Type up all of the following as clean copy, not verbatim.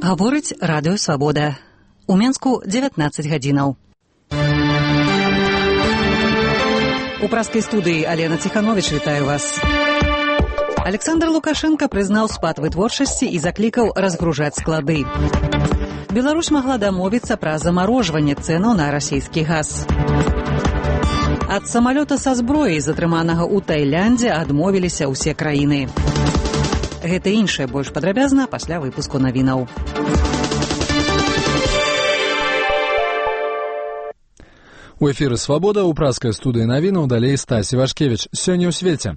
Гаворыць радыё «Свабода». У Менску 19 гадзінаў. У праскай студыі Алена Ціхановіч вітаю вас. Александр Лукашенко прызнаў спад вытворчасці і заклікаў разгружаць склады. Беларусь магла дамовіцца пра замарожванне цэнаў на расійскі газ. Ад самалёта са зброяй, затрыманага ў Тайландзе, адмовіліся ўсе краіны. Гэта і іншае больш падрабязна пасля выпуску навінаў. У эфіры «Свабода» у праскай студыі навінаў далей Стасі Вашкевіч. Сёння ў свеце.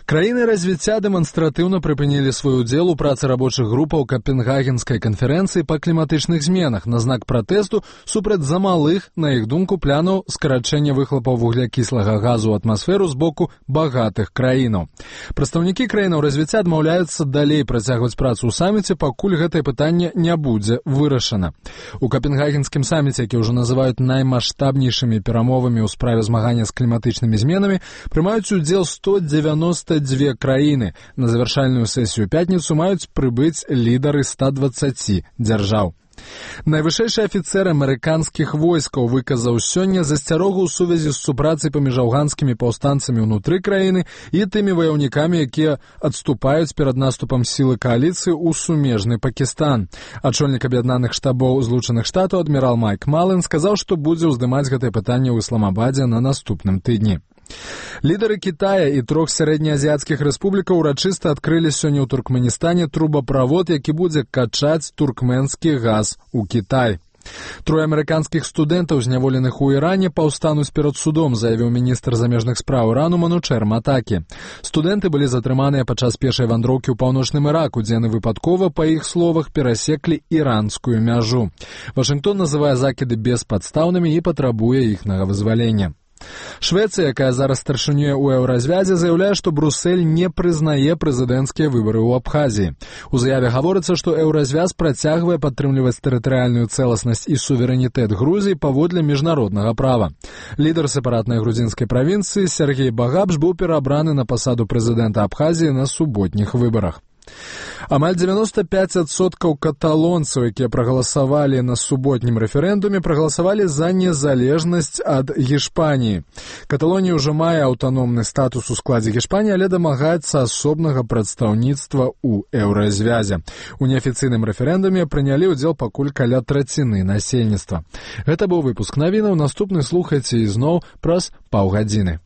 Краіны развіцця дэманстратыўна прыпынілі свой удзел у працы рабочых групаў Капенгагенскай канферэнцыі па кліматычных зменах на знак пратэсту супраць замалых, на іх думку, планаў скарачэння выхлапаў вуглякіслага газу ў атмасферу з боку багатых краінаў. Прадстаўнікі краінаў развіцця адмаўляюцца далей працягваць працу ў саміце, пакуль гэтае пытанне не будзе вырашана. У Капенгагенскім саміце, які ўжо называюць наймаштабнейшымі перамовамі ў справе змагання з кліматычнымі зменамі, прымаюць удзел 192 краіны. На завяршальную сесію пятніцу маюць прыбыць лідары 120 дзяржаў. Найвышэйшы афіцэр амерыканскіх войскаў выказаў сёння засцярогу ў сувязі з супрацай паміж афганскімі паўстанцамі ўнутры краіны і тымі ваяўнікамі, якія адступаюць перад наступам сілы кааліцыі ў сумежны Пакістан. Ачольнік аб'яднаных штабоў Злучаных Штатаў адмірал Майк Мален сказаў, што будзе ўздымаць гэтае пытанне ў Ісламабадзе на наступным тыдні. Лідары Китая і 3 сярэднеазіяцкіх рэспублікаў урачыста адкрылі сёння ў Туркменістане трубаправод, які будзе качаць туркменскі газ у Кітай. 3 амерыканскіх студэнтаў, зняволеных у Іране, паўстануць перад судом, заявіў міністр замежных спраў Ірану Манучэр Матакі. Студэнты былі затрыманыя падчас пешай вандроўкі ў паўночным Іраку, дзе яны выпадкова, па іх словах, перасеклі іранскую мяжу. Вашынгтон называе закіды беспадстаўнымі і патрабуе іхнага вызвалення. Швецыя, якая зараз старшынюе ў еўразвязе, заяўляе, што Брусэль не прызнае прэзідэнцкія выбары ў Абхазіі. У заяве гаворыцца, што еўразвяз працягвае падтрымліваць тэрытарыяльную цэласнасць і суверэнітэт Грузіі паводле міжнароднага права. Лідар сепаратнай грузінскай правінцыі Сергей Багапш быў перабраны на пасаду прэзідэнта Абхазіі на суботніх выбарах. Амаль 95% каталонцаў, якія прагаласавалі на суботнім рэферэндуме, прагаласавалі за незалежнасць ад Гішпаніі. Каталонія ўжо мае аўтаномны статус у складзе Гішпаніі, але дамагаецца асобнага прадстаўніцтва ў еўразвязе. У неафіцыйным рэферэндуме прынялі ўдзел пакуль каля траціны насельніцтва. Гэта быў выпуск навінаў. Наступны слухайце ізноў праз паўгадзіны.